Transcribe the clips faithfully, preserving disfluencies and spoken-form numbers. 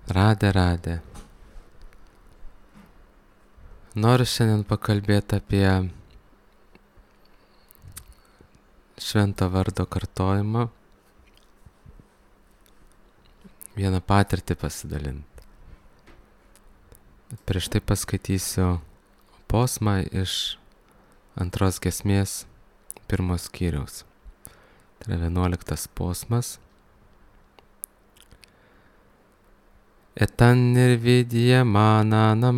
Radė, radė. Noriu šiandien pakalbėti apie švento vardo kartojimą, vieną patirtį pasidalinti. Bet prieš tai paskaitysiu posmą iš antros giesmės pirmos skyriaus. Tai yra vienuoliktas posmas. Etan nirvidyamananam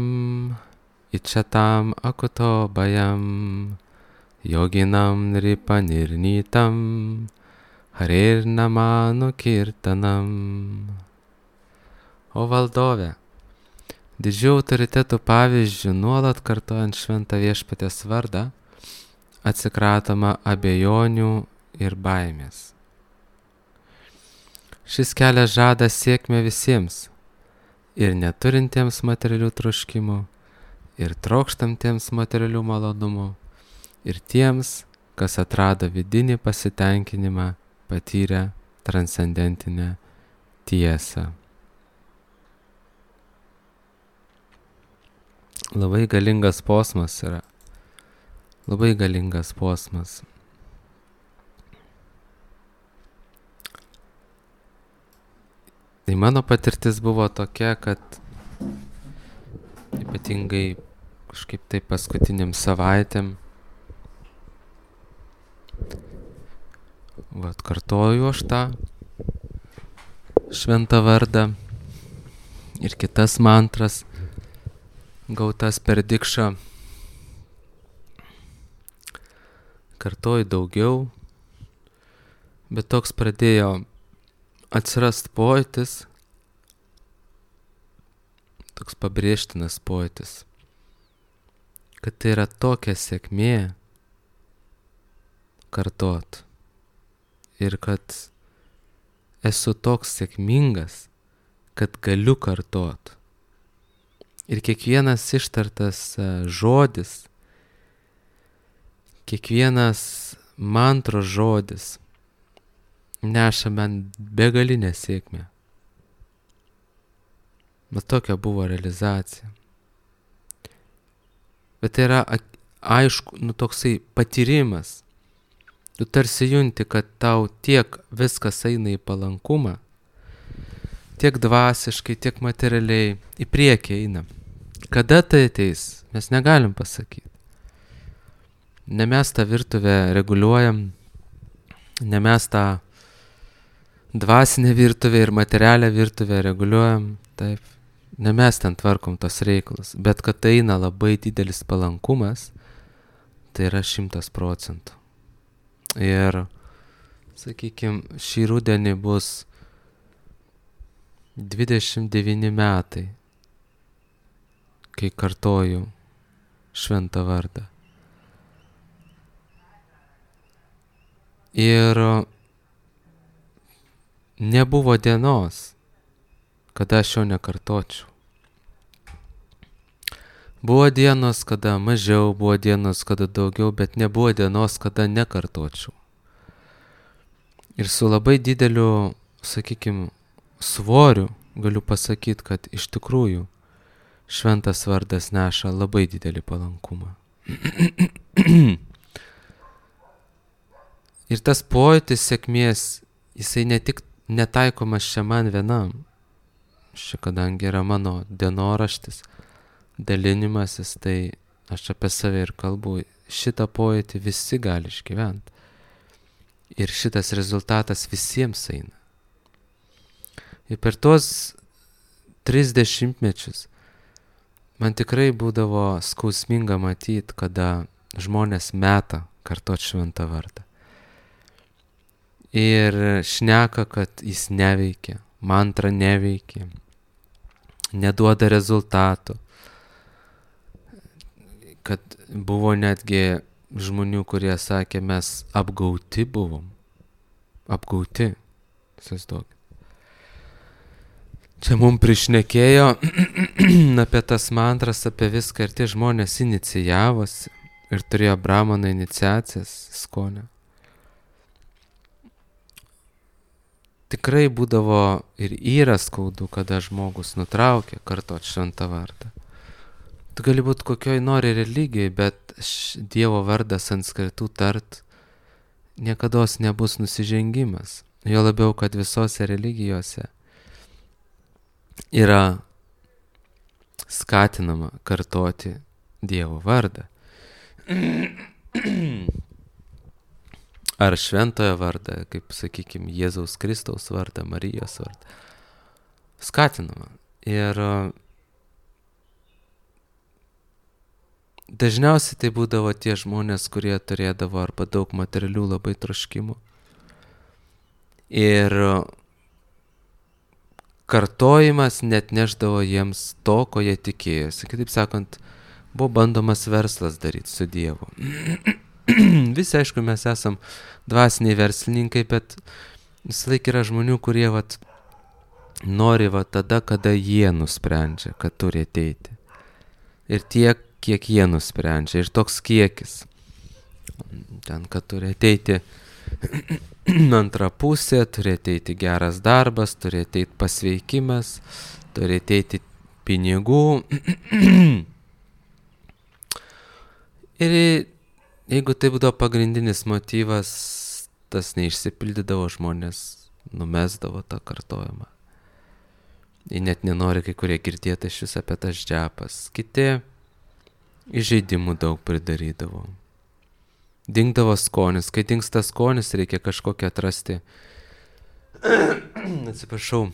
ichatam akuto bayam yoginam nripanirnitam harirnamanu kirtanam. O valdove, didžių autoritetų pavyzdžių nuolat kartojant šventą viešpaties vardą atsikratoma abejonių ir baimės. Šis kelias žada sėkmę visiems, ir neturintiems materialių troškimų, ir trokštantiems materialių malonumų, ir tiems, kas atrado vidinį pasitenkinimą, patyrę transcendentinę tiesą. Labai galingas posmas yra. Labai galingas posmas. Tai mano patirtis buvo tokia, kad ypatingai kažkaip tai paskutiniam savaitėm vat kartoju aš tą šventą vardą ir kitas mantras gautas per dikšą. Kartoju daugiau, bet toks pradėjo atsirast pojūtis, toks pabrėžtinas pojūtis, kad tai yra tokia sėkmė kartot ir kad esu toks sėkmingas, kad galiu kartot. Ir kiekvienas ištartas žodis, kiekvienas mantros žodis neša man begalinę sėkmę. Bet tokia buvo realizacija. Bet tai yra aišku, nu toksai patyrimas. Tu tarsi junti, kad tau tiek viskas eina į palankumą, tiek dvasiškai, tiek materialiai, į priekį eina. Kada tai ateis, mes negalim pasakyti. Ne mes tą virtuvę reguliuojam, ne mes tą dvasinę virtuvę ir materialią virtuvę reguliuojam, taip, ne mes ten tvarkom tos reikalus, bet kad tai eina labai didelis palankumas, tai yra šimtas procentų. Ir, sakykime, šį rudenį bus dvidešimt devyni metai, kai kartoju šventą vardą. Ir nebuvo dienos, kada aš jo nekartočiau. Buvo dienos, kada mažiau, buvo dienos, kada daugiau, bet nebuvo dienos, kada nekartočiau. Ir su labai dideliu, sakykime, svoriu galiu pasakyti, kad iš tikrųjų šventas vardas neša labai didelį palankumą. Ir tas pojūtis sėkmės, jisai ne tik netaikomas čia man vienam. Čia kadangi yra mano dienoraštis, dalinimasis, tai aš apie save ir kalbu. Šitą pojūtį visi gali išgyventi. Ir šitas rezultatas visiems eina. Ir per tuos tris dešimtmečius man tikrai būdavo skausminga matyti, kada žmonės meta kartot šventą vardą. Ir šneka, kad jis neveikia, mantra neveikia, neduoda rezultatų. Kad buvo netgi žmonių, kurie sakė, mes apgauti buvom. Apgauti. Įsivaizduokit. Čia mums prišnekėjo apie tas mantras, apie viską, ir tie žmonės inicijavosi ir turėjo brahmano iniciacijas, skonio. tikrai būdavo ir yra skaudu, kada žmogus nutraukia kartot šventą vardą. Tu gali būti kokioj nori religijai, bet Dievo vardą sanskritų tart niekados nebus nusižengimas. Jo labiau, kad visose religijose yra skatinama kartoti Dievo vardą. Ar šventojo vardą, kaip sakykime, Jėzaus Kristaus vardą, Marijos vardą. Skatinama. Ir dažniausiai tai būdavo tie žmonės, kurie turėdavo arba daug materialių labai troškimų. Ir kartojimas net neždavo jiems to, ko jie tikėjosi. Kitaip sakant, buvo bandomas verslas daryti su Dievu. Visi, aišku, mes esam dvasiniai verslininkai, bet visą laiką yra žmonių, kurie vat, nori vat, tada, kada jie nusprendžia, kad turi ateiti. Ir tiek, kiek jie nusprendžia. Ir toks kiekis. Ten, kad turi ateiti antra pusė, turi ateiti geras darbas, turi ateiti pasveikimas, turi ateiti pinigų. Ir jeigu tai būdavo pagrindinis motyvas, tas neišsipildydavo, žmonės numesdavo tą kartojimą. Jie net nenori kai kurie girdėti iš vis apie tas džepas. Kiti įžeidimų daug pridarydavo. Dingdavo skonis. Kai dingsta skonis, reikia kažkokią atrasti, atsiprašau,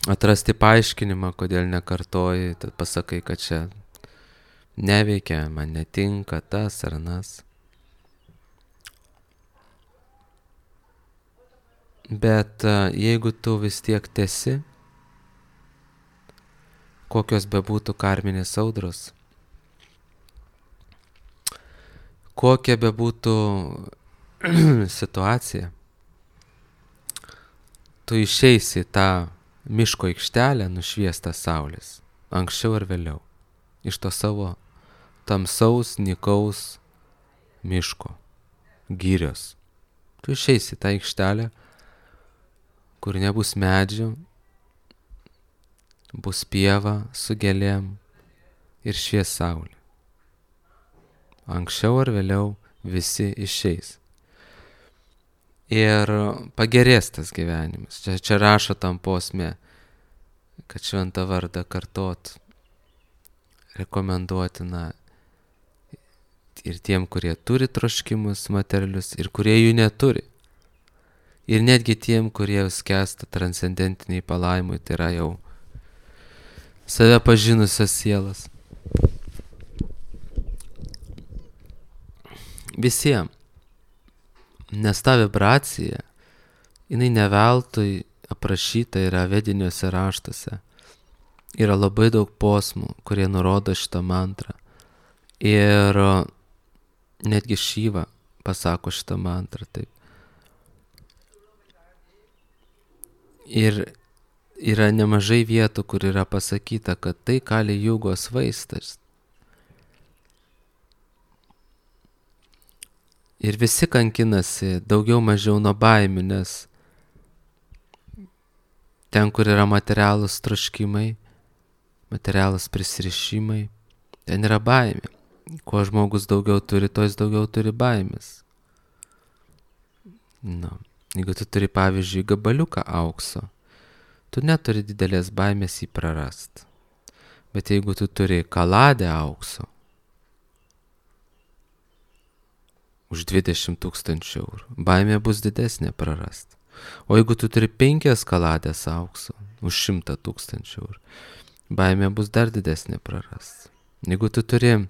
atrasti paaiškinimą, kodėl nekartoji, tad pasakai, kad čia neveikia, man netinka tas ar nas. Bet jeigu tu vis tiek tesi, kokios bebūtų karminės audros, kokia bebūtų situacija, tu išeisi tą miško aikštelę nušviestą saulės, anksčiau ar vėliau, iš to savo tamsaus, nykaus miško, girios. Tu išeisi tą aikštelę, kur nebus medžių, bus pieva su gėlėm ir švies saulė. Anksčiau ar vėliau visi išeis. Ir pagerės tas gyvenimas. Čia, čia rašo tam posme, kad šventą vardą kartot rekomenduotina ir tiem, kurie turi troškimus materialius, ir kurie jų neturi. Ir netgi tiem, kurie skęsta transcendentiniai palaimui, tai yra jau save pažinusios sielas. Visiems. Nes ta vibracija, jinai neveltui aprašyta yra vediniuose raštuose. Yra labai daug posmų, kurie nurodo šitą mantrą. Ir netgi Šiva pasako šitą mantrą taip. Ir yra nemažai vietų, kur yra pasakyta, kad tai Kali Jugos vaistas. Ir visi kankinasi daugiau mažiau nuo baimių, nes ten, kur yra materialūs troškimai, materialūs prisirišimai, ten yra baimė. Kuo žmogus daugiau turi, to jis daugiau turi baimės. Nu, jeigu tu turi, pavyzdžiui, gabaliuką aukso, tu neturi didelės baimės jį prarast. Bet jeigu tu turi kaladę aukso, už dvidešimt tūkstančių eurų, baimė bus didesnė prarast. O jeigu tu turi penkias kaladės aukso už šimtą tūkstančių eurų, baimė bus dar didesnė prarast. Jeigu tu turi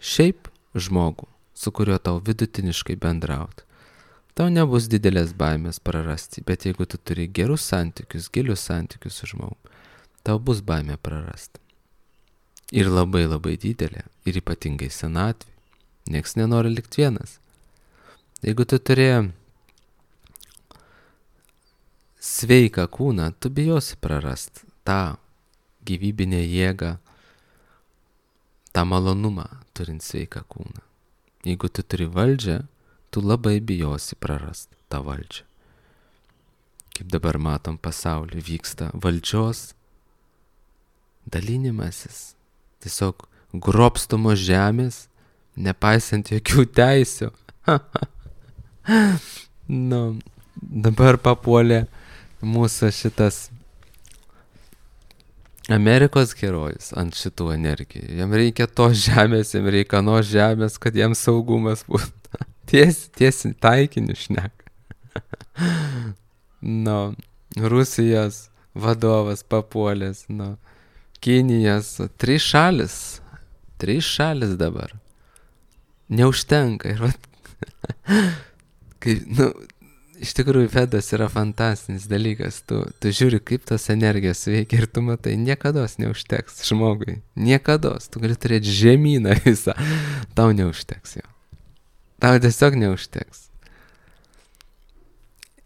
šiaip žmogų, su kuriuo tau vidutiniškai bendrauti, tau nebus didelės baimės prarasti, bet jeigu tu turi gerus santykius, gilius santykius su žmogum, tau bus baimė prarasti. Ir labai labai didelė, ir ypatingai senatvė. Niekas nenori likti vienas. Jeigu tu turi sveiką kūną, tu bijosi prarast tą gyvybinę jėgą, tą malonumą turint sveiką kūną. Jeigu tu turi valdžią, tu labai bijosi prarast tą valdžią. kaip dabar matom pasaulį, vyksta valdžios dalinimasis. Tiesiog grobstomos žemės, nepaisant jokių teisių. Nu, dabar papuolė mūsų šitas Amerikos herojus ant šitų energijų. Jam reikia tos žemės, jam reikia nuo žemės, kad jam saugumas būtų. Tiesi, tiesi taikiniu šneka. Nu, Rusijos vadovas papuolęs, nu, Kinijos, trys šalis, trys šalis dabar. Neužtenka. Ir vat, kai, nu, iš tikrųjų Vedos yra fantastinis dalykas. Tu, tu žiūri, kaip tas energijos veikia ir tu matai, niekados neužteks žmogui. Niekados. Tu gali turėti žemyną visą. Tau neužteks jo. Tau tiesiog neužteks.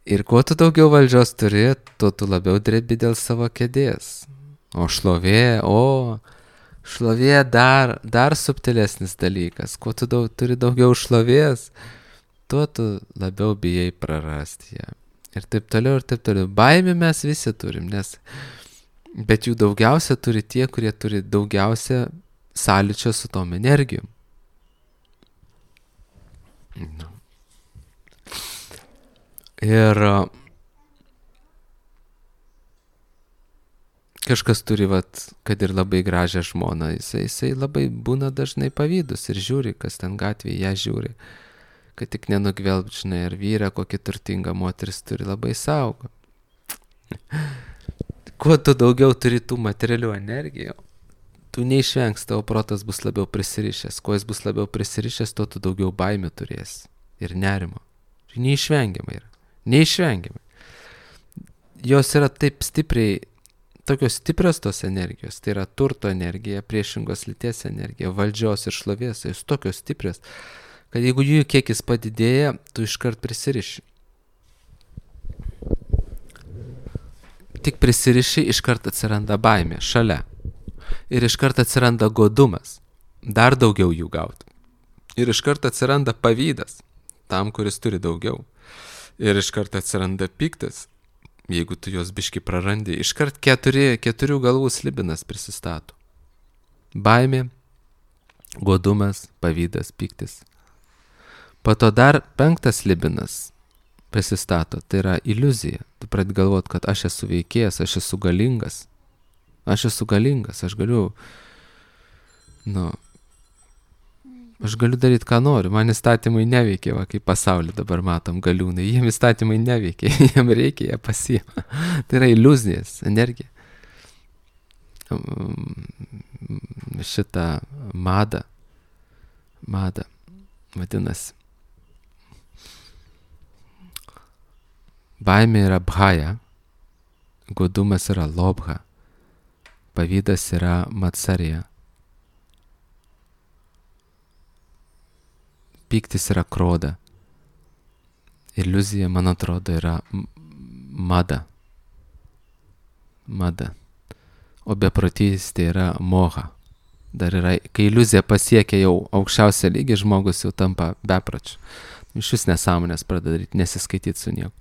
Ir kuo tu daugiau valdžios turi, tuo tu labiau drebi dėl savo kėdės. O šlovė, o šlovė dar, dar subtilesnis dalykas. Kuo tu daug, turi daugiau šlovės, tuo tu labiau bijai prarasti ją. Ir taip toliau, ir taip toliau. Baimę mes visi turim, nes, bet jų daugiausia turi tie, kurie turi daugiausia sąlyčio su tom energijom. No. Ir kažkas turi, vat, kad ir labai gražią žmoną, jisai, jisai labai būna dažnai pavydus ir žiūri, kas ten gatvėje ją žiūri, kad tik nenugvelbčinai, ar vyrą, kokį turtingą moteris turi, labai saugo. Kuo tu daugiau turi tų materialių energijų, tu neišvengs, tavo protas bus labiau prisirišęs. Kuo jis bus labiau prisirišęs, tuo tu daugiau baimių turėsi ir nerimo. Neišvengiamai yra. Neišvengiamai. Jos yra taip stipriai, tokios stiprios tos energijos, tai yra turto energija, priešingos lyties energija, valdžios ir šlovės, jos tokios stiprios, kad jeigu jų kiekis padidėja, tu iškart prisiriši. Tik prisiriši, iškart atsiranda baimė šalia. Ir iškart atsiranda godumas, dar daugiau jų gauti. Ir iškart atsiranda pavydas tam, kuris turi daugiau. Ir iškart atsiranda piktas, jeigu tu jos biški prarandi. Iškart keturi, keturių galvų slibinas prisistato. Baimė, godumas, pavydas, piktis. Po to dar penktas slibinas prisistato, tai yra iliuzija. Tu pradedi galvoti, kad aš esu veikėjas, aš esu galingas. Aš esu galingas, aš galiu, nu, aš galiu daryti, ką noriu. Man įstatymai neveikia, va, kaip pasaulį dabar matom galiūnai. Jiem įstatymai neveikia, jiem reikia, jie pasiima. Tai yra iliuzijas, energija. Šitą madą, madą, vadinasi. Baimė yra bhaja, godumas yra lobha, pavydas yra matsarija, pyktis yra kroda, iliuzija, man atrodo, yra mada, mada, o beprotystė yra moha. Dar yra, kai iliuzija pasiekia jau aukščiausią lygį, žmogus jau tampa bepročiu. Iš vis nesąmonės pradeda daryti, nesiskaityti su nieko.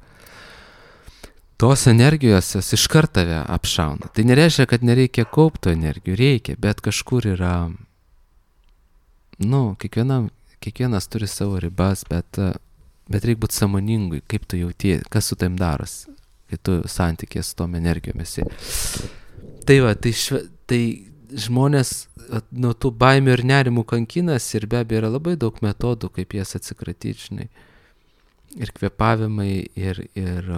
Tos energijos jos iškart tave apšauna. Tai nereiškia, kad nereikia kaupto energijų, reikia, bet kažkur yra, nu, kiekvienam, kiekvienas turi savo ribas, bet, bet reikia būti sąmoningui, kaip tu jautie, kas su taim darosi, kai tu santykė su tom energijomis. Tai va, tai, šve, tai žmonės nuo tų baimių ir nerimų kankinas ir be abejo yra labai daug metodų, kaip jas atsikratyti, žinai. Ir kvėpavimai, ir, ir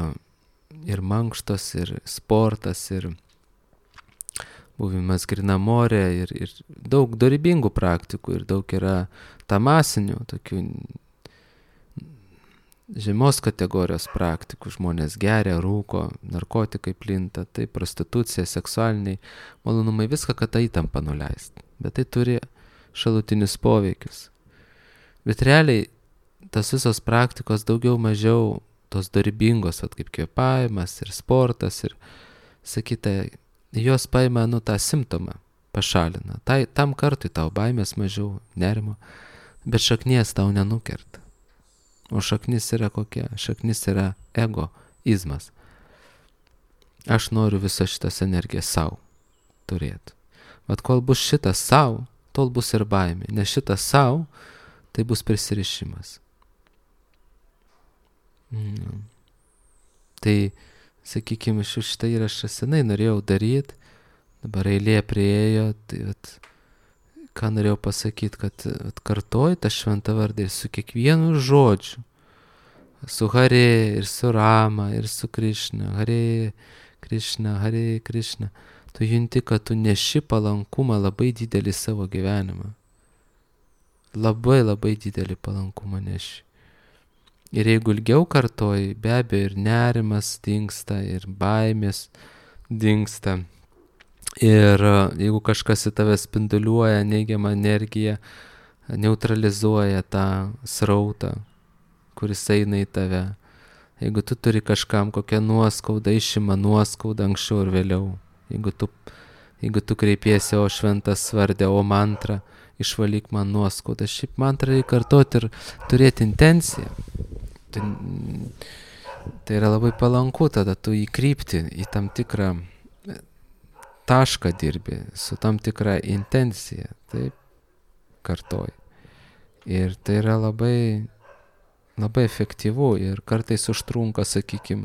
ir mankštos, ir sportas, ir buvimas grynam ore, ir, ir daug dorybingų praktikų, ir daug yra tamasinių, tokių žemos kategorijos praktikų. Žmonės geria, rūko, narkotikai plinta, tai prostitucija, seksualiniai malonumai, viską, kad tą įtampą nuleisti. Bet tai turi šalutinius poveikius. Bet realiai tas visos praktikos daugiau mažiau tos dorybingos, at kaip kvėpavimas ir sportas ir sakyta, jos paima, nu, tą simptomą, pašalina. Tai, tam kartui tau baimės mažiau, nerimo, bet šaknies tau nenukerta. O šaknis yra kokia? Šaknis yra egoizmas. aš noriu visą šitas energijas savo turėti. Vat kol bus šitas savo, tol bus ir baimė. Nes šitas savo, tai bus prisirišimas. Mm. Tai, sakykime, šitą įrašą senai norėjau daryti, dabar eilė prieėjo, tai vat, ką norėjau pasakyti, kad vat, kartoju tą šventą vardą ir su kiekvienu žodžiu, su Hare ir su Rama ir su Krišna, Hare Krišna, Hare Krišna, tu junti, kad tu neši palankumą labai didelį savo gyvenimą. Labai labai didelį palankumą neši. Ir jeigu ilgiau kartoji, be abejo ir nerimas dingsta, ir baimės dingsta. Ir jeigu kažkas į tave spinduliuoja neigiamą energiją, neutralizuoja tą srautą, kuris eina į tave. Jeigu tu turi kažkam kokią nuoskaudą, išima nuoskaudą anksčiau ir vėliau. Jeigu tu, jeigu tu kreipiesi, o šventas vardė, o mantra, išvalyk man nuoskaudą. Šiaip mantrą reikia kartoti ir turėti intenciją. Tai, tai yra labai palanku, tada tu įkrypti į tam tikrą tašką dirbi, su tam tikra intencija, taip, kartoji. Ir tai yra labai, labai efektyvu ir kartais užtrunka, sakykime,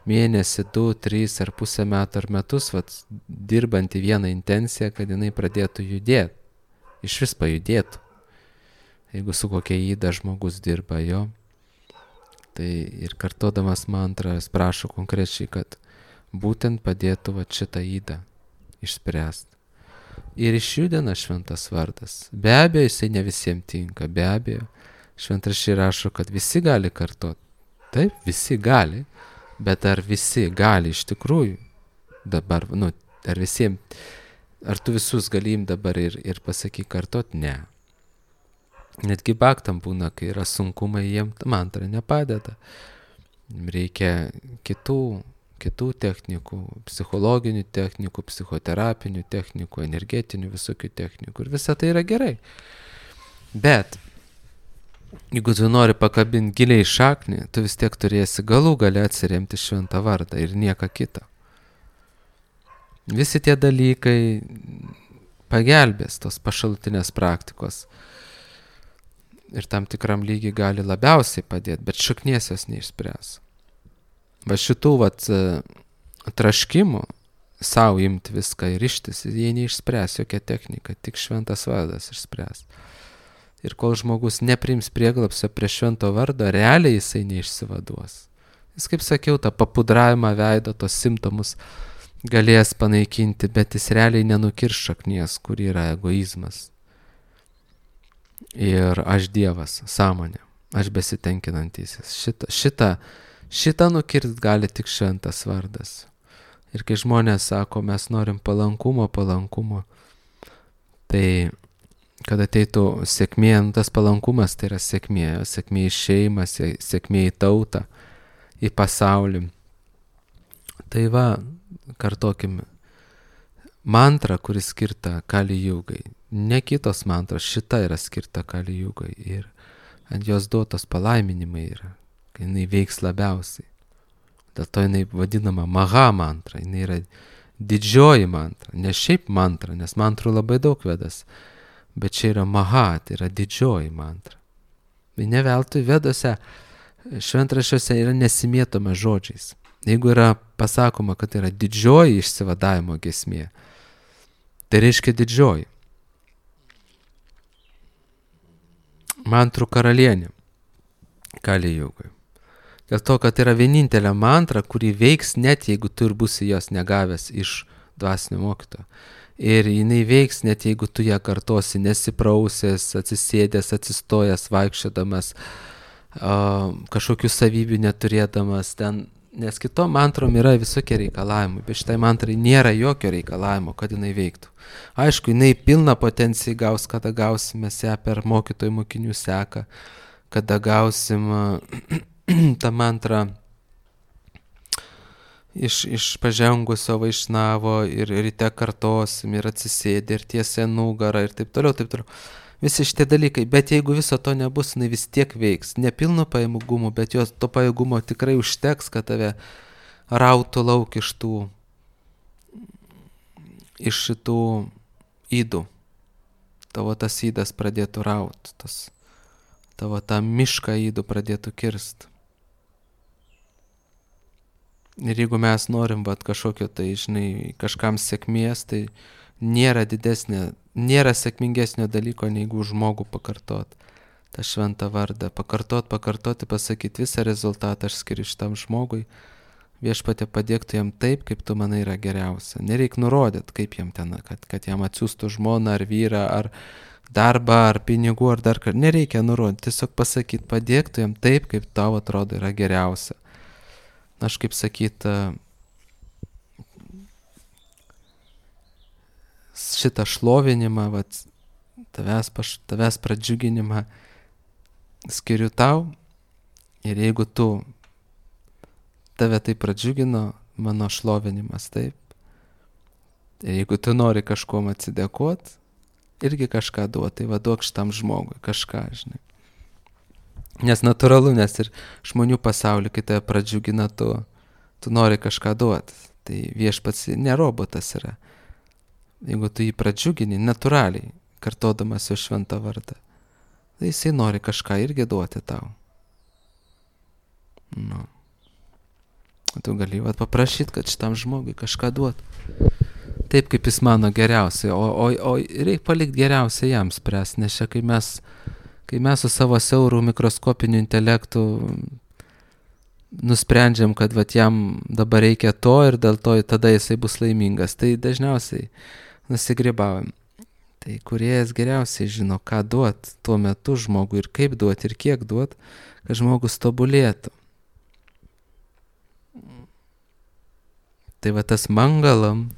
mėnesį, du, trys ar pusę metų ar metus, vat, dirbant į vieną intenciją, kad jinai pradėtų judėti, iš vis pajudėtų. Jeigu su kokia įda žmogus dirba jo, tai ir kartodamas mantrą prašo konkrečiai, kad būtent padėtų vat, šitą įdą išspręsti. Ir išjudina šventas vardas. Be abejo, jisai ne visiems tinka, be abejo. Šventraščiai rašo, kad visi gali kartoti. Taip, visi gali, bet ar visi gali iš tikrųjų dabar, nu, ar visiems, ar tu visus galim dabar ir, ir pasakyk kartoti? Ne. Netgi baktam būna, kai yra sunkumai, jiem mantra nepadeda. Reikia kitų, kitų technikų, psichologinių technikų, psichoterapinių technikų, energetinių visokių technikų. Ir visa tai yra gerai. Bet jeigu tu nori pakabinti giliai šaknį, tu vis tiek turėsi galų gale atsiremti šventą vardą ir nieką kitą. Visi tie dalykai pagelbės, tos pašalutinės praktikos. Ir tam tikram lygiai gali labiausiai padėti, bet šaknies jos neišspręs. Va šitų vat, traškimų, savo imti viską ir ištis, jie neišspręs jokia technika, tik šventas vardas išspręs. Ir kol žmogus nepriims prieglapsio prie švento vardo, realiai jisai neišsivaduos. Jis, kaip sakiau, tą papudravimą veido, tos simptomus galės panaikinti, bet jis realiai nenukirs šaknies, kur yra egoizmas. Ir aš Dievas, sąmonė, aš besitenkinantysis. Šitą, šitą, šitą nukirt gali tik šventas vardas. Ir kai žmonės sako, mes norim palankumo, palankumo, tai kad ateitų sėkmė, tas palankumas tai yra sėkmė, sėkmė į šeimą, sėkmė į tautą, į pasaulį. Tai va, kartokim, mantra, kuris skirta Kali Jugai. Ne kitos mantros, šita yra skirta Kali Jugai ir ant jos duotos palaiminimai yra, kai jinai veiks labiausiai. Dėl to jinai vadinama Maha mantra, jinai yra didžioji mantra, ne šiaip mantra, nes mantrų labai daug vedas, bet čia yra Maha, tai yra didžioji mantra. Tai ne veltui vedose, šventraščiuose yra nesimėtoma žodžiais. Jeigu yra pasakoma, kad yra didžioji išsivadavimo giesmė, tai reiškia didžioji. Mantrų karalienė Kali Jugai. Dėl to, kad yra vienintelė mantra, kuri veiks net jeigu tu ir būsi jos negavęs iš dvasinio mokytojo. Ir jinai veiks net jeigu tu ją kartosi nesiprausęs, atsisėdęs, atsistojęs, vaikščiodamas, uh, kažkokių savybių neturėdamas ten. Nes kitom mantrom yra visokie reikalavimai, bet šitai mantrai nėra jokio reikalavimo, kad jinai veiktų. Aišku, jinai pilną potenciją gaus, kada gausim mes ją per mokytojų mokinių seką, kada gausim tą mantrą iš, iš pažengusio vaišnavo ir ryte kartosim ir atsisėdė ir tiesia nugarą ir taip toliau, taip toliau. Visi šitie dalykai, bet jeigu viso to nebus, jinai vis tiek veiks. Nepilno pajėgumo, bet jos to pajėgumo tikrai užteks, kad tave rautų lauk iš tų iš šitų ydų. Tavo tas įdas pradėtų raut, tas, tavo tą mišką ydų pradėtų kirst. Ir jeigu mes norim vat, kažkokio, tai, žinai, kažkam sėkmės, tai nėra didesnė, nėra sėkmingesnio dalyko, negu žmogų pakartot. tą šventą vardą, pakartot, pakartoti, pasakyti visą rezultatą aš skiriu šitam žmogui, viešpatie padėktų jam taip, kaip tu manai yra geriausia. Nereik nurodyt, kaip jam ten, kad, kad jam atsiųstų žmoną ar vyrą, ar darbą, ar pinigų, ar dar ką. Nereikia nurodyti, tiesiog pasakyti, padėktų jam taip, kaip tau atrodo yra geriausia. Aš kaip sakyt, šitą šlovinimą, vat, tavęs, paš, tavęs pradžiuginimą skiriu tau, ir jeigu tu tave tai pradžiugino, mano šlovinimas taip. Ir jeigu tu nori kažkuom atsidėkot, irgi kažką duoti, tai vaduok šitam žmogui kažką, žinai. Nes natūralu, nes ir žmonių pasaulį, kai tave pradžiugina, tu, tu nori kažką duoti. Tai viešpats ne robotas yra. Jeigu tu jį pradžiugini natūraliai, kartodamas jo šventą vardą, tai jisai nori kažką irgi duoti tau. Nu. Tu gali vat paprašyti, kad šitam žmogui kažką duotų. Taip, kaip jis mano geriausiai, o, o, o reikia palikti geriausiai jam spręs, nes čia kai mes, kai mes su savo siaurų mikroskopiniu intelektu nusprendžiam, kad vat jam dabar reikia to ir dėl to tada jisai bus laimingas, tai dažniausiai nusigrybaujam. Tai kūrėjas geriausiai žino, ką duot tuo metu žmogui ir kaip duot ir kiek duot, kad žmogus tobulėtų. Tai va tas mangalam,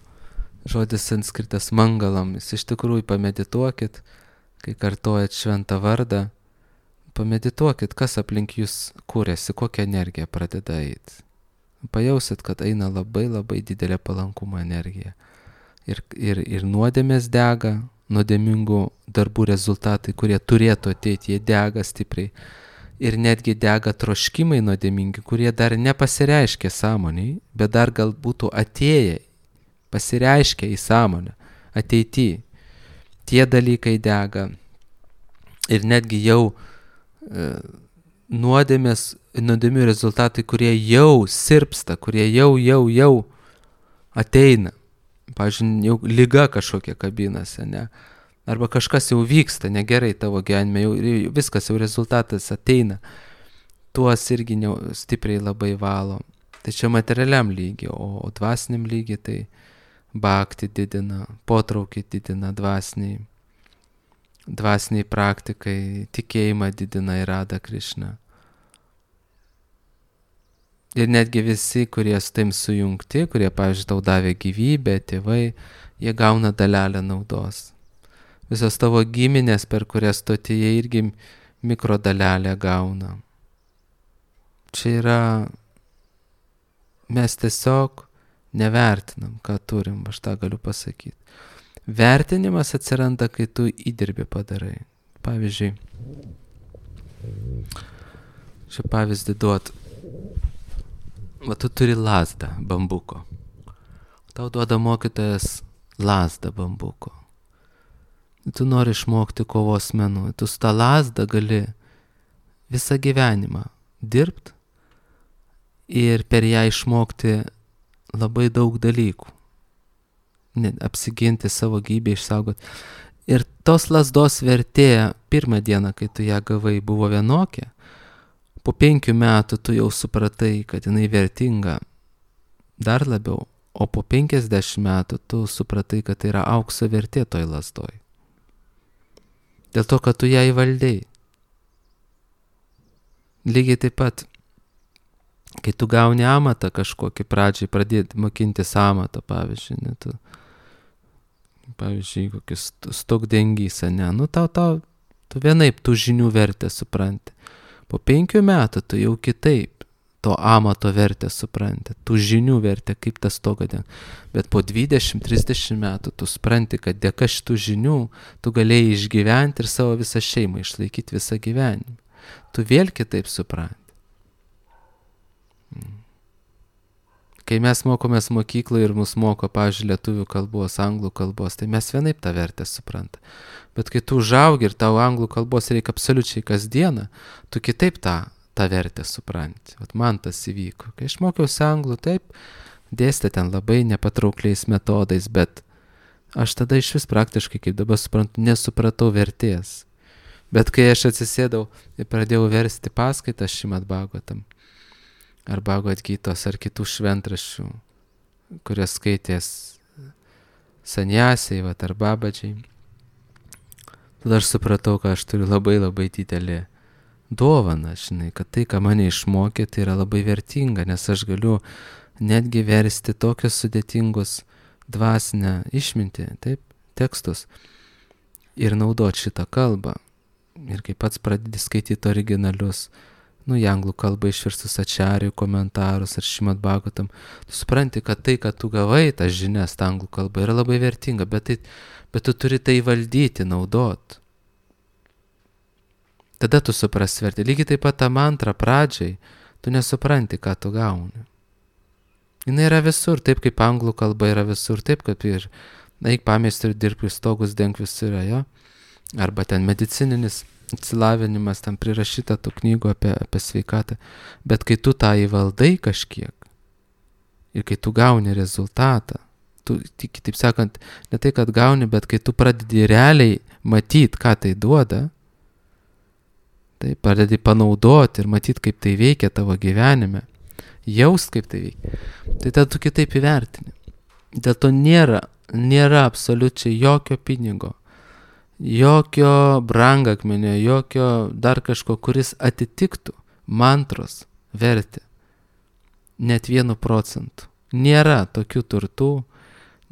žodis sanskritas mangalam, jūs iš tikrųjų pamedituokit, kai kartojat šventą vardą, pamedituokit, kas aplink jūs kūrėsi, kokia energija pradeda eiti. Pajausit, kad eina labai labai didelė palankumo energija. Ir, ir, ir nuodėmės dega, nuodėmingų darbų rezultatai, kurie turėtų ateiti, jie dega stipriai. Ir netgi dega troškimai nuodėmingi, kurie dar nepasireiškia sąmoniai, bet dar gal būtų atėję, pasireiškia į sąmonę, ateityje. Tie dalykai dega. Ir netgi jau e, nuodėmės, nuodėmių rezultatai, kurie jau sirpsta, kurie jau, jau, jau ateina. Pavyzdžiui, jau liga kažkokia kabinasi, ne? Arba kažkas jau vyksta negerai tavo gyvenime, jau viskas, jau rezultatas ateina. Tuos irgi ne, stipriai labai valo. Tai čia materialiam lygiai, o, o dvasiniam lygiai tai bhakti didina, potraukį didina dvasiniai, dvasiniai praktikai, tikėjimą didina ir Radha Krišna. Ir netgi visi, kurie su taim sujungti, kurie, pavyzdžiui, tau davė gyvybę, tėvai, jie gauna dalelę naudos. Visos tavo giminės, per kurias tu atėjai, irgi mikrodalelę gauna. Čia yra, mes tiesiog nevertinam, ką turim, aš tą galiu pasakyti. Vertinimas atsiranda, kai tu įdirbį padarai. Pavyzdžiui, čia pavyzdį duot. Va, tu turi lazdą bambuko. Tau duoda mokytojas lazdą bambuko. Tu nori išmokti kovos menų. Tu su tą lazdą gali visą gyvenimą dirbti ir per ją išmokti labai daug dalykų. Apsiginti savo gyvybę, išsaugoti. Ir tos lazdos vertė pirmą dieną, kai tu ją gavai, buvo vienokia. Po penkių metų tu jau supratai, kad jinai vertinga dar labiau, o po penkiasdešimt metų tu supratai, kad tai yra aukso vertė toj lazdoj. Dėl to, kad tu ją įvaldei. Lygiai taip pat, kai tu gauni amatą kažkokį pradžiai, pradėti mokintis amato, pavyzdžiui, ne, tu, pavyzdžiui, kokis stogdengys, ne, nu tau, tau, tu vienaip tų žinių vertę supranti. Po penkių metų tu jau kitaip to amato vertę supranti, tų žinių vertę, kaip tas stogo den. Bet po dvidešimt trisdešimt metų tu supranti, kad dėka šitų žinių tu galėjai išgyventi ir savo visą šeimą išlaikyti visą gyvenimą. Tu vėl kitaip supranti. kai mes mokomės mokykloje ir mus moko, pavyzdžiui, lietuvių kalbos, anglų kalbos, tai mes vienaip tą vertę supranta. Bet kai tu užaugi ir tau anglų kalbos reikia absoliučiai kasdieną, tu kitaip tą, tą vertę supranti. Vat man tas įvyko. Kai aš mokiausi anglų, taip, dėstė ten labai nepatraukliais metodais, bet aš tada iš vis praktiškai, kaip dabar suprantu, nesupratau vertės. Bet kai aš atsisėdau ir pradėjau versti paskaitą Šrimad Bhagavatam, ar Bhagavad Gytos, ar kitų šventraščių, kurias skaitės saniasiai, vat, ar babadžiai, tada aš supratau, kad aš turiu labai labai didelį dovaną, žinai, kad tai, ką mane išmokė, tai yra labai vertinga, nes aš galiu netgi versti tokius sudėtingus dvasinę išmintį, taip, tekstus ir naudoti šitą kalbą. Ir kai pats pradedi skaityti originalius, nu, į anglų kalbą išverstus ačarijų komentarus ar Šrimad Bhagavatam, tu supranti, kad tai, kad tu gavai tas žinias, ta anglų kalba, yra labai vertinga, bet, tai, bet tu turi tai valdyti, naudot. Tada tu supras vertę. Lygiai taip pat tą mantrą pradžiai, tu nesupranti, ką tu gauni. Jis yra visur, taip kaip anglų kalba yra visur, taip kaip ir eik pameistriu dirbti, stogus denk visur yra, jo? Arba ten medicininis atsilavinimas, tam prirašyta tų knygų apie, apie sveikatą. Bet kai tu tą įvaldai kažkiek ir kai tu gauni rezultatą, tu, kitaip sakant, ne tai, kad gauni, bet kai tu pradedi realiai matyti, ką tai duoda, tai pradedi panaudoti ir matyti, kaip tai veikia tavo gyvenime, jaust, kaip tai veikia, tai tada tu kitaip įvertini. Dėl to nėra, nėra absoliučiai jokio pinigo, jokio brangakmenio, jokio dar kažko, kuris atitiktų mantros vertę. Net vienu procentu. Nėra tokių turtų,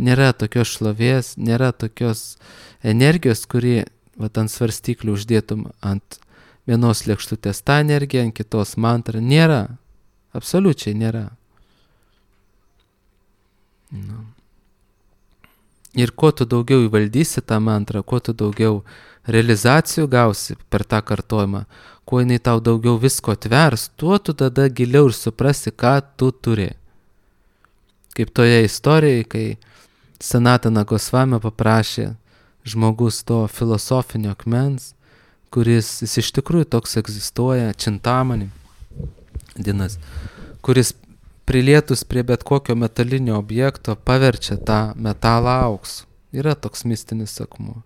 nėra tokios šlovės, nėra tokios energijos, kuri vat, ant svarstyklių uždėtum ant vienos lėkštutės tą energiją, ant kitos mantrą. Nėra. Absoliučiai nėra. Nu. Ir kuo tu daugiau įvaldysi tą mantrą, kuo tu daugiau realizacijų gausi per tą kartojimą, kuo jinai tau daugiau visko atvers, tuo tu tada giliau ir suprasi, ką tu turi. Kaip toje istorijoje, kai Sanatana Gosvami paprašė žmogus to filosofinio akmens, kuris jis iš tikrųjų toks egzistuoja, Čintamani, dinas, kuris prilietus prie bet kokio metalinio objekto paverčia tą metalą auksu. Yra toks mistinis akmuo.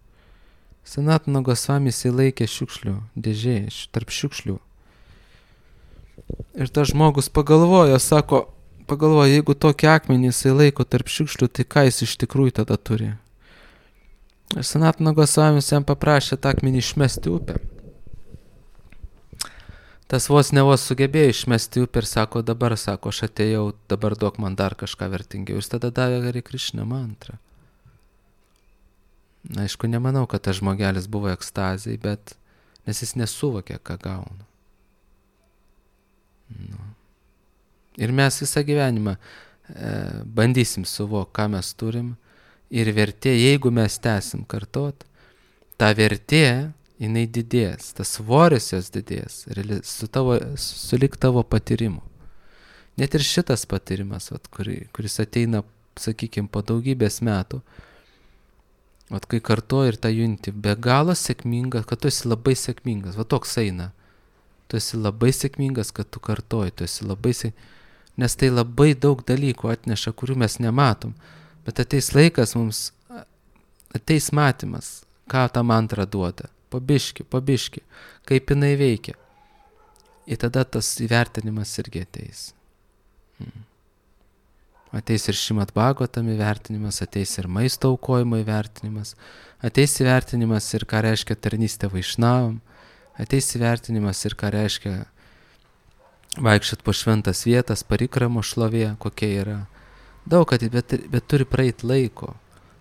Sanatana Gosvami jisai laikė šiukšlių dėžėje, tarp šiukšlių. Ir tas žmogus pagalvojo, sako, pagalvojo, jeigu tokį akmenį jisai laiko tarp šiukšlių, tai ką jis iš tikrųjų tada turi? Ir Sanatana Gosvami jam paprašė tą akmenį išmesti upę. Tas vos ne vos sugebėjo išmesti upę ir sako, dabar, sako, aš atėjau, dabar duok man dar kažką vertingiau. Jis tada davė Hare Krishna mantrą. Na, aišku, nemanau, kad tas žmogelis buvo ekstazijai, bet nes jis nesuvokė, ką gauna. Nu. Ir mes visą gyvenimą e, bandysim suvokti, ką mes turim. Ir vertė, jeigu mes tęsim kartot, ta vertė, jinai didės, tas svoris jos didės, su tavo, sulik tavo patyrimu. Net ir šitas patyrimas, vat, kuri, kuris ateina, sakykime, po daugybės metų, vat, kai kartuoji ir tą junti, be galo sėkmingas, kad tu esi labai sėkmingas, va toks eina. Tu esi labai sėkmingas, kad tu kartuoji, tu esi labai sėkmingas, nes tai labai daug dalykų atneša, kurių mes nematom. Bet ateis laikas mums, ateis matymas, ką tą mantrą duoda. Pabiški, pabiški, kaip jinai veikia. Ir tada tas įvertinimas irgi ateis. Hmm. Ateis ir Šrimad Bhagavatam įvertinimas, ateis ir maisto aukojimo įvertinimas, ateis įvertinimas ir ką reiškia tarnystė vaišnavam, ateis įvertinimas ir ką reiškia vaikščiot po šventas vietas, parikramo šlovė, kokia yra. Daug, kad, bet, bet turi praeit laiko.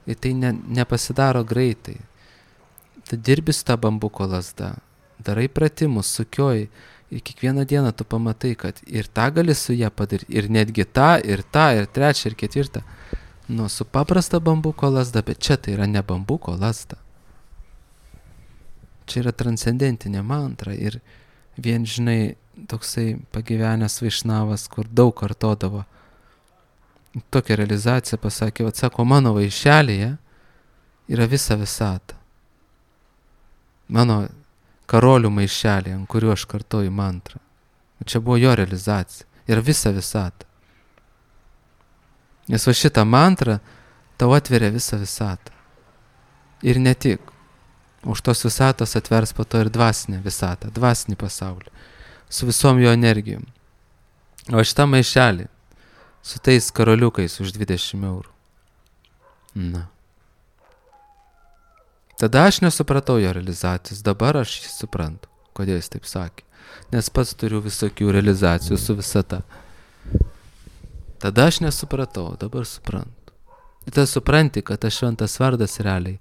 Ir tai ne, nepasidaro greitai. Tu dirbi su tą bambuko lazda, darai pratimus, sukioji ir kiekvieną dieną tu pamatai, kad ir tą gali su ją padaryti, ir netgi tą, ir tą, ir trečią, ir ketvirtą. Nu, su paprasta bambuko lazda, bet čia tai yra ne bambuko lazda. Čia yra transcendentinė mantra ir vien, žinai, toksai pagyvenęs vaišnavas, kur daug kartodavo tokią realizaciją pasakė, vat sako, mano vaišelėje yra visa visata. Mano karolių maišelė, ant kuriuo aš kartoju mantrą. Čia buvo jo realizacija. Yra visa visata. Nes va šitą mantrą tau atveria visą visatą. Ir ne tik. Už tos visatos atvers po to ir dvasinę visatą, dvasinį pasaulį. Su visom jo energijom. O šitą maišelį su tais karoliukais už dvidešimt eurų. Na. Tada aš nesupratau jo realizacijos, dabar aš jį suprantu, kodėl jis taip sakė. Nes pats turiu visokių realizacijų su visata. Tada aš nesupratau, dabar suprantu. Ir tada supranti, kad tas šventas vardas realiai,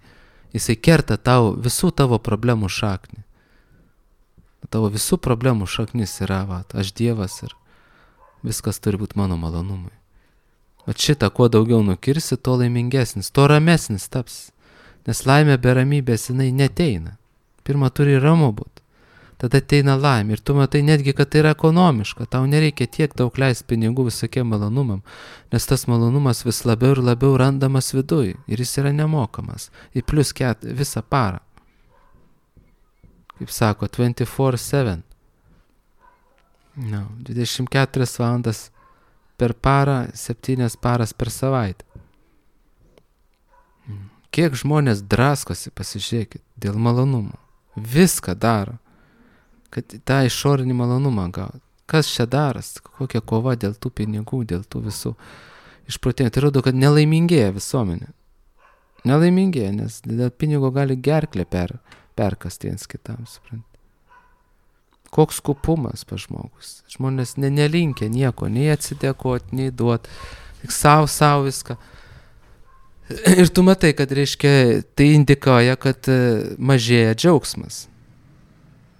jisai kerta tau visų tavo problemų šaknį. Tavo visų problemų šaknis yra, va, aš Dievas ir viskas turi būti mano malonumui. O šitą, kuo daugiau nukirsi, tuo laimingesnis, tuo ramesnis taps. Nes laimė be ramybės jinai neteina. Pirma turi ramu būt. Tada ateina laimė. Ir tu matai netgi, kad tai yra ekonomiška. Tau nereikia tiek daug leisti pinigų visokiem malonumam. Nes tas malonumas vis labiau ir labiau randamas viduj. Ir jis yra nemokamas. Ir plus ket, visą parą. Kaip sako, dviraštuonių septyni. No, dvidešimt keturias valandas per parą, septynias paras per savaitę. Kiek žmonės draskosi, pasižiūrėkit, dėl malonumų. Viską daro, kad tą išorinį malonumą gauti. Kas čia daras? Kokia kova dėl tų pinigų, dėl tų visų išprotėjimų. Tai rodo, kad nelaimingėja visuomenė. Nelaimingėja, nes dėl pinigo gali gerklę per, perkasti viens kitam, suprant. Koks kupumas pa žmogus. Žmonės ne, nelinkia nieko, nei atsidėkoti, nei duoti. Tik savo, savo viską. Ir tu matai, kad reiškia, tai indikuoja, kad mažėja džiaugsmas.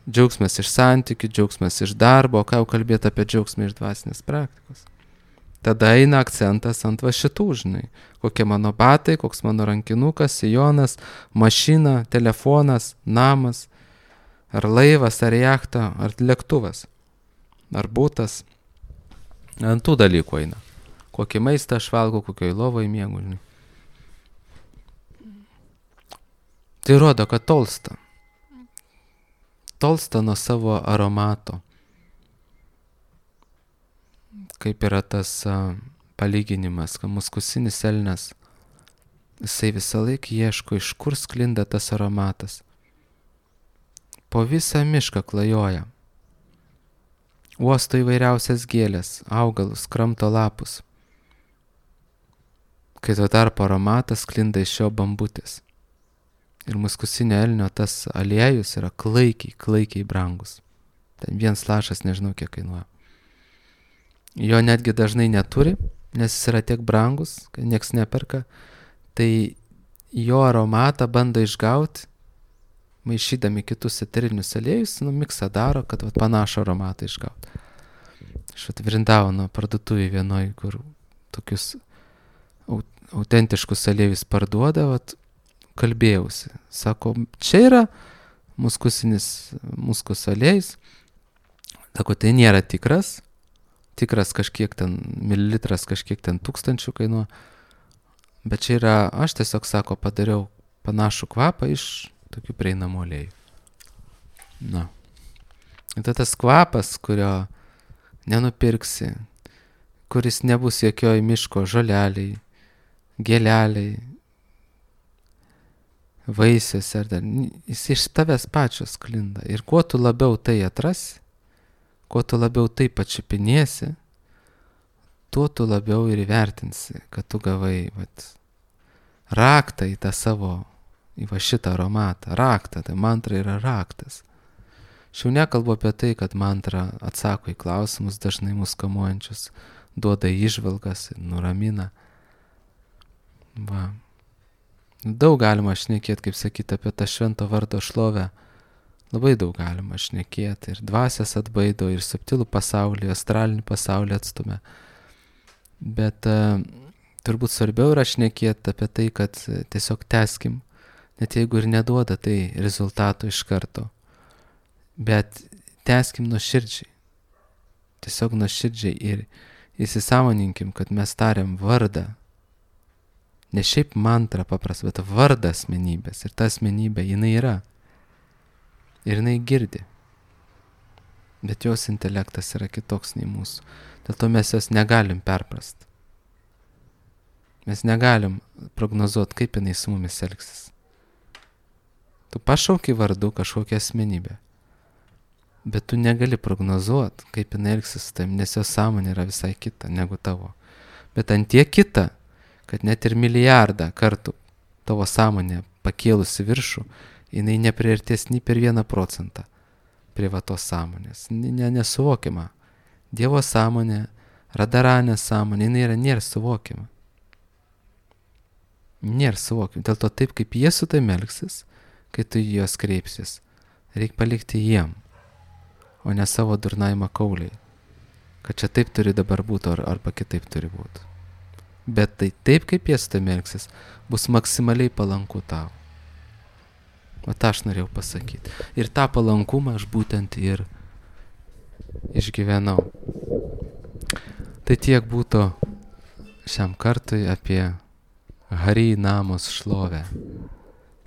Džiaugsmas iš santykių, džiaugsmas iš darbo, ką jau kalbėti apie džiaugsmą iš dvasinės praktikos. Tada eina akcentas ant va šitų, žinai, kokie mano batai, koks mano rankinukas, sijonas, mašina, telefonas, namas, ar laivas, ar jachta, ar lėktuvas, ar būtas. Ant tų dalykų eina. Kokį maistą aš valgau, kokioj lovoj miegu, žinai. Tai rodo, kad tolsta. Tolsta nuo savo aromato. Kaip yra tas a, palyginimas, kad muskusinis elnias, jisai visą laiką ieško, iš kur sklinda tas aromatas. Po visą mišką klajoja. Uosto įvairiausias gėlės, augalus, kramto lapus. Kai tuo tarpu aromatas sklinda iš jo bambutės. Ir muskusinio elnio tas aliejus yra klaikiai, klaikiai brangus. Ten vienas lašas nežinau kiek kainuoja. Jo netgi dažnai neturi, nes jis yra tiek brangus, kad nieks neperka. Tai jo aromatą bando išgauti, maišydami kitus eterinius aliejus, nu miksą daro, kad vat, panašų aromatą išgauti. Aš atviriндavau nuo parduotuvį vienoj, kur tokius autentiškus aliejus parduoda, vat, kalbėjausi. Sako, čia yra muskusinis muskus aliejus. Sako, tai nėra tikras. Tikras kažkiek ten, mililitras kažkiek ten tūkstančių kainuoja. Bet čia yra, aš tiesiog, sako, padariau panašų kvapą iš tokių prieinamų aliejų. Na. Ir tas kvapas, kurio nenupirksi, kuris nebus jokioj miško žoleliai, gėleliai, vaisius ar dar, jis iš tavęs pačios sklinda. Ir kuo tu labiau tai atrasi, kuo tu labiau tai pačiupinėsi, tuo tu labiau ir įvertinsi, kad tu gavai vat, raktą į tą savo, į va šitą aromatą. Raktą, tai mantra yra raktas. Aš jau nekalbu apie tai, kad mantra atsako į klausimus dažnai mus kamuojančius, duoda įžvalgas, nuramina. Va. Daug galima šnekėti, kaip sakyti, apie tą švento vardo šlovę. Labai daug galima šnekėti. Ir dvasias atbaido, ir subtilų pasaulį, astralinį pasaulį atstumia. Bet uh, turbūt svarbiau yra šnekėti apie tai, kad tiesiog teskim, net jeigu ir neduoda tai rezultato iš karto. Bet teskim nuoširdžiai. Tiesiog nuoširdžiai ir, įsisąmoninkim, kad mes tariam vardą. Ne šiaip mantra paprasta, bet vardą asmenybės. Ir ta asmenybė, jinai yra. Ir jinai girdi. Bet jos intelektas yra kitoks nei mūsų. Dėl to mes jos negalim perprast. Mes negalim prognozuoti, kaip jinai su mumis elgsis. Tu pašauki vardu kažkokią asmenybę. Bet tu negali prognozuoti, kaip jinai elgsis su tavim, nes jos sąmonė yra visai kita negu tavo. Bet ant tiek kita, kad net ir milijardą kartų tavo sąmonė pakėlusi viršų, jinai nepriartės nei per vieną procentą prie va tos sąmonės. Ne, nesuvokiama. Dievo sąmonė, radaranė sąmonė, jinai yra nėra suvokiama. Nėra suvokiama. Dėl to taip, kaip jie su tavim elgsis, kai tu į juos kreipsis, reikia palikti jiem, o ne savo durnavimą kauliai. Kad čia taip turi dabar būti, ar, arba kitaip turi būti. Bet tai taip, kaip jie su tavim elgsis, bus maksimaliai palanku tau. O tą aš norėjau pasakyti. Ir tą palankumą aš būtent ir išgyvenau. Tai tiek būtų šiam kartui apie Hari Namos šlovę,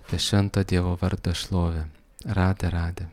apie švento Dievo vardą šlovę. Radė, radė.